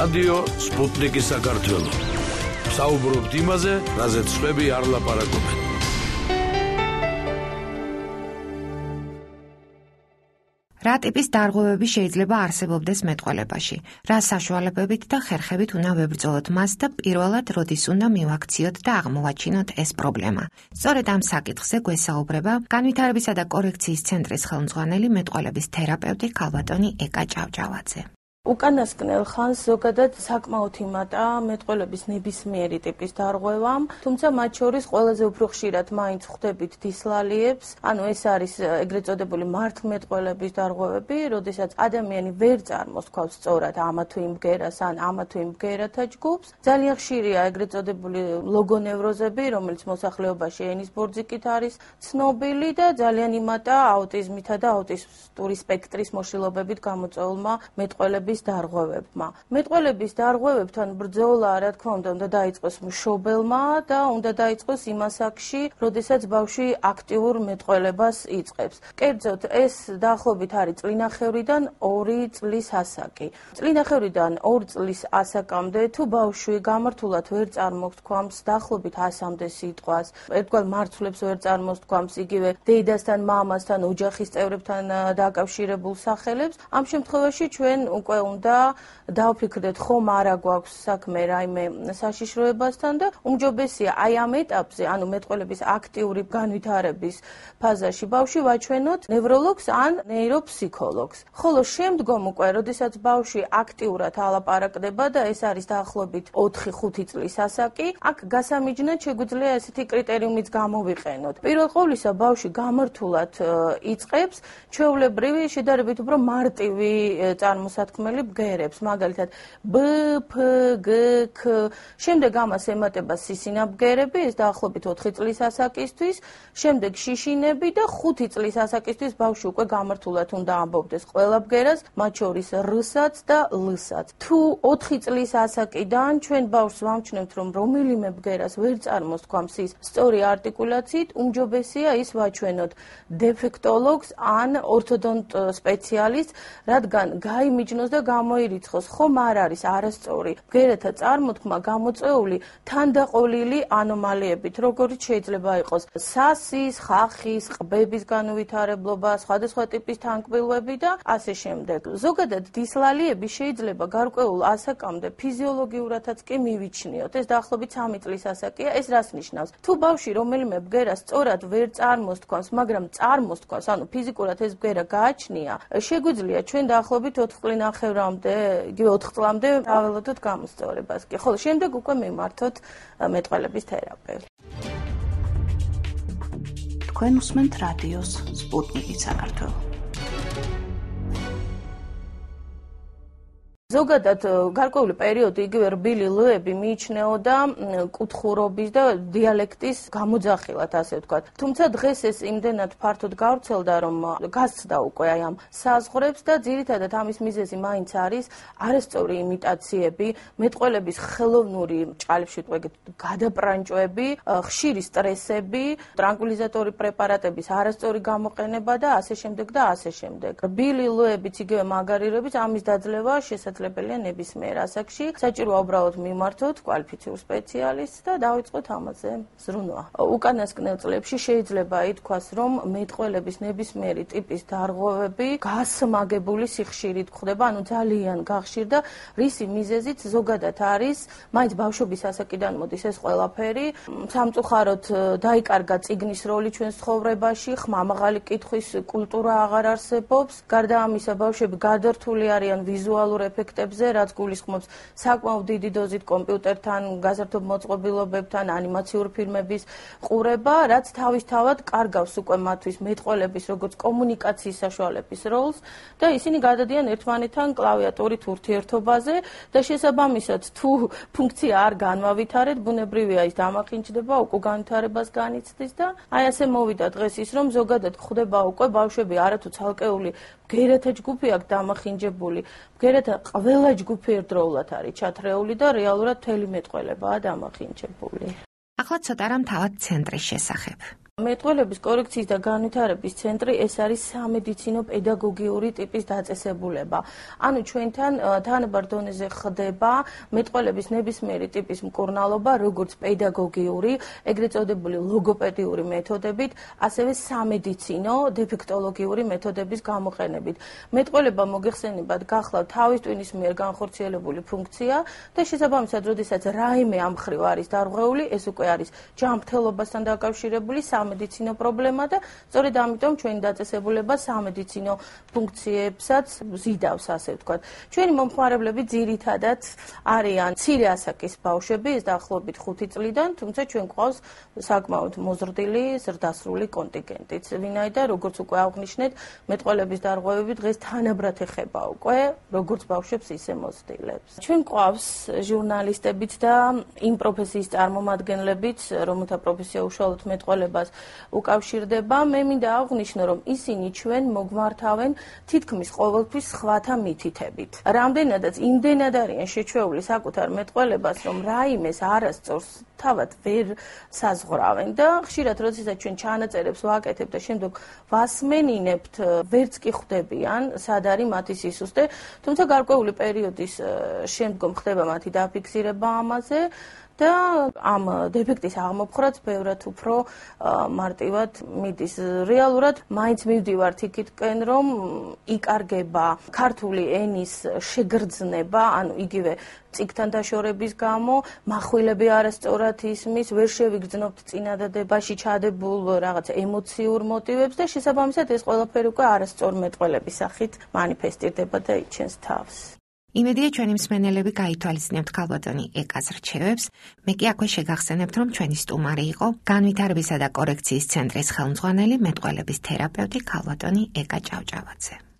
რადიო სპუტნიკი საქართველო. საუბრობთ იმაზე, რაზეც სხვები არ ლაპარაკობენ. რა ტიპის დარღვევები შეიძლება არსებობდეს მეტყველებაში? რა საშუალებებით და ხერხებით უნდა ვებრძოლოთ მას და პირველად როდის უნდა მივაქციოთ და აღმოვაჩინოთ ეს პრობლემა? სწორედ ამ საკითხზე გვესაუბრება განვითარებისა და კორექციის ცენტრის ხელმძღვანელი მეტყველების თერაპევტი ქალბატონი ეკა ჭავჭავაძე. უკანასკნელ ხანს ზოგადად საკმაოდ იმატა მეტყველების ნებისმიერი ტიპის დარღვევამ, თუმცა მათ შორის ყველაზე უფრო ხშირად მაინც ხვდებით დისლალიებს, ანუ ეს არის ეგრეთ წოდებული მართლმეტყველების დარღვევები, როდესაც ადამიანი ვერ წარმოსთქვავს სწორად ამა თუ იმ ბგერას ან ამა თუ იმ ბგერათა ჯგუფს. ძალიან ხშირია ეგრეთ წოდებული ლოგონევროზები, რომელიც მოსახლეობაში ენის ბორძიკით არის ცნობილი და ძალიან იმატა აუტიზმითა და აუტისტური სპექტრის მოშლილობებით გამოწვეულმა მეტყველების დარღვევებმა. მეტყველების დარღვევებთან ბრძოლა, რა თქმა უნდა დაიწყოს მშობელმა და უნდა დაიწყოს იმ ასაკში, როდესაც ბავშვი აქტიურ მეტყველებას იწყებს. კერძოდ, ეს დაახლოებით არის წლინახევრიდან 2 წლის ასაკი. წლინახევრიდან 2 წლის ასაკამდე თუ ბავშვი გამართულად ვერ წარმოგთქვამს დაახლოებით 100-მდე სიტყვას, ერთგვარ მარცვლებს ვერ წარმოსთქვამს, იგივე დედასთან, მამასთან, ოჯახის წევრებთან დაკავშირებულ სახელებს, ამ შემთხვევაში ჩვენ უკვე უნდა დავფიქრდეთ, ხომ არა გვაქვს საქმე რაიმე საშიშროებასთან და უმჯობესია აი ამ ეტაპზე, ანუ მეტყველების აქტიური განვითარების ფაზაში ბავშვი ვაჩვენოთ ნევროლოგს ან ნეიროფსიქოლოგს. ხოლო შემდგომ უკვე, როდესაც ბავშვი აქტიურად ალაპარაკდება და ეს არის დაახლოებით 4-5 წლის ასაკი, აქ გასამიჯნად შეგვიძლია ესეთი კრიტერიუმიც გამოვიყენოთ. პირველ ყოვლისა ბავშვი გამართულად იწყებს ჩვეულებრივი შედარებით უფრო მარტივი წარმოსათქმელი ბგერებს, მაგალითად ბ, ფ, გ, ქ. შემდეგ ამას ემატება სისინა ბგერები, ეს დაახლოებით 4 წლის ასაკისთვის, შემდეგ შიშინები და 5 წლის ასაკისთვის ბავშვი უკვე გამართულად უნდა ამბობდეს ყველა ბგერას, მათ შორის რ-საც და լ-საც. თუ 4 წლის ასაკიდან ჩვენ ბავშვს ვამჩნევთ, რომ რომელიმე ბგერას ვერ წარმოსთქვამს ის სწორი არტიკულაციით, უმჯობესია ის ვაჩვენოთ დეფექტოლოგს ან ორთოდონტ სპეციალისტს, რადგან გაიმიჯნოს და გამოირიცხოს, ხომ არ არის არასწორი ბგერათა წარმოთქმა გამოწვეული თანდაყოლილი ანომალიებით, როგორც შეიძლება იყოს სასის, ხახის, ყბების განუვითარებლობა, სხვადასხვა ტიპის თანკბილვები და ასე შემდეგ. ზოგადად დისლალიები შეიძლება გარკვეულ ასაკამდე ფიზიოლოგიურადაც კი მივიჩნიოთ. ეს დაახლოებით 3 წლის ასაკია. ეს რას ნიშნავს? თუ ბავშვი რომელიმე ბგერას სწორად ვერ წარმოსთქვამს, მაგრამ წარმოსთქვამს, ანუ ფიზიკურად ეს ბგერა გააჩნია, შეგვიძლია ჩვენ დაახლოებით 4 წლინახევრამდე, იგივე 4 წლამდე აველოდოთ გამოსწორებას. კი, ხოლო შემდეგ უკვე მიმართოთ მეტყველების თერაპევტს. თქვენ უსმენთ რადიოს სპუტნიკი საქართველო. ზოგადად გარკვეული პერიოდი იგივე რბილი ლ-ები მიიჩნეოდა კუთხურობის და დიალექტის გამოძახილად, ასე ვთქვათ. თუმცა დღეს ეს იმდენად ფართოდ გავრცელდა, რომ გასცდა უკვე აი ამ საზღვრებს და ძირითადად ამის მიზეზი მაინც არის არასწორი იმიტაციები, მეტყველების ხელოვნური ჭყალებში ვთქვათ გადაპრანჭვები, ხშირი სტრესები, ტრანკვილიზატორი პრეპარატების არასწორი გამოყენება და ასე შემდეგ და ასე შემდეგ. რბილი ლ-ებიც იგივე მაგარირებიც ამის დაძლევა შესაძლებელია ნებისმიერ ასაკში. საჭიროა უბრალოდ მიმართოთ კვალიფიციურ სპეციალისტს და დავიწყოთ ამაზე ზრუნვა. უკანასკნელ წლებში შეიძლება ითქვას, რომ მეტყველების ნებისმიერი ტიპის დარღვევები გასმაგებული სიხშირით გვხდება, ანუ ძალიან გახშირდა, რისი მიზეზიც ზოგადად არის, მაინც ბავშვობის ასაკიდან მოდის ეს ყველაფერი. სამწუხაროდ დაიკარგა წიგნის როლი ჩვენს ცხოვრებაში, ხმამაღალი კითხვის კულტურა აღარ არსებობს. გარდა ამისა, ბავშვები გადართული არიან ვიზუალურ ეფექტებზე, რაც გულისხმობს საკმაოდ დიდი დოზით კომპიუტერთან, გაზართობ მოწყობილობებთან, ანიმაციურ ფილმების ყურება, რაც თავისთავად კარგავს უკვე მათთვის მეტყველების როგორც კომუნიკაციის საშუალების როლს და ისინი გადადიან ერთმანეთთან კლავიატურით ურთიერთობაზე და შესაბამისად თუ ფუნქცია არ განვავითარეთ, ბუნებრივია ის დამახინჯდება, უკვე განვითარებას განიცდის და აი ასე მოვიდა დღეს ის, რომ ზოგადად გვხვდება უკვე ბავშვები არათუ ცალკეული ბგერათა ჯგუფი აქვს დამახინჯებული, ბგერათა ყველა ჯგუფი ერთდროულად არის ჩათრეული და რეალურად მთელი მეტყველებაა დამახინჯებული. ახლა ცოტა რამ თავად ცენტრის შესახებ. მეტყველების კორექციის და განვითარების ცენტრი ეს არის სამედიცინო პედაგოგიური ტიპის დაწესებულება. ანუ ჩვენთან თანაბარ დონეზე ხდება მეტყველების ნებისმიერი ტიპის მკურნალობა, როგორც პედაგოგიური, ეგრეთ წოდებული ლოგოპედიური მეთოდებით, ასევე სამედიცინო დეფექტოლოგიური მეთოდების გამოყენებით. მეტყველება მოგეხსენებათ გახლავთ თავის ტვინის მიერ განხორციელებული ფუნქცია და შესაბამისად, როდესაც რაიმე ამ მხრივ არის დარღვეული, ეს უკვე არის ჯანმრთელობასთან დაკავშირებული სამედიცინო პრობლემა და სწორედ ამიტომ ჩვენი დაწესებულება სამედიცინო ფუნქციებსაც ზიდავს, ასე ვთქვათ. ჩვენი მომხმარებლები ძირითადად არიან მცირე ასაკის ბავშვები, ეს დაახლოებით 5 წლიდან, თუმცა ჩვენ გვყავს საკმაოდ მოზრდილი ზრდასრული კონტინგენტიც, ვინაიდან როგორც უკვე აღვნიშნეთ, მეტყველების დარღვევები დღეს თანაბრად ეხება უკვე როგორც ბავშვებს, ისე მოზრდილებს. ჩვენ გვყავს ჟურნალისტებიც და იმ პროფესიის წარმომადგენლებიც, რომელთა პროფესია უშუალოდ მეტყველებას უკავშირდება. მე მინდა აღვნიშნო, რომ ისინი ჩვენ მოგმართავენ თითქმის ყოველთვის სხვათა მითითებით. რამდენადაც იმდენად არიან შეჩვეული საკუთარ მეტყველებას, რომ რაიმეს არასწორს თავად ვერ საზღვრავენ და ხშირად როდესაც ჩვენ ჩანაწერებს ვაკეთებთ და შემდგომ ვასმენინებთ, ვერც კი ხვდებიან, სად არის მათი სისუსტე, თუმცა გარკვეული პერიოდის შემდგომ ხდება მათი დაფიქსირება ამაზე და ამ დეფექტის აღმოფხვრაც ბევრად უფრო მარტივად მიდის. რეალურად მაინც მივდივართ იქითკენ, რომ იკარგება ქართული ენის შეგრძნება, ანუ იგივე წიგნთან დაშორების გამო, מחვილები არასწორად ისმის, ვერ შევიგრძნობთ წინადადებაში ჩადებულ რაღაც ემოციურ მოტივებს და შესაბამისად ეს ყველაფერი უკვე არასწორ მეტყველების სახით მანიფესტირდება და იჩენს თავს. იმედია ჩვენი მსმენელები გაითვალისწინებთ ქალბატონი ეკას რჩევებს. მე კი აქვე შეგახსენებთ, რომ ჩვენი სტუმარი იყო განვითარებისა და კორექციის ცენტრის ხელმძღვანელი მეტყველების თერაპევტი ქალბატონი ეკა ჭავჭავაძე.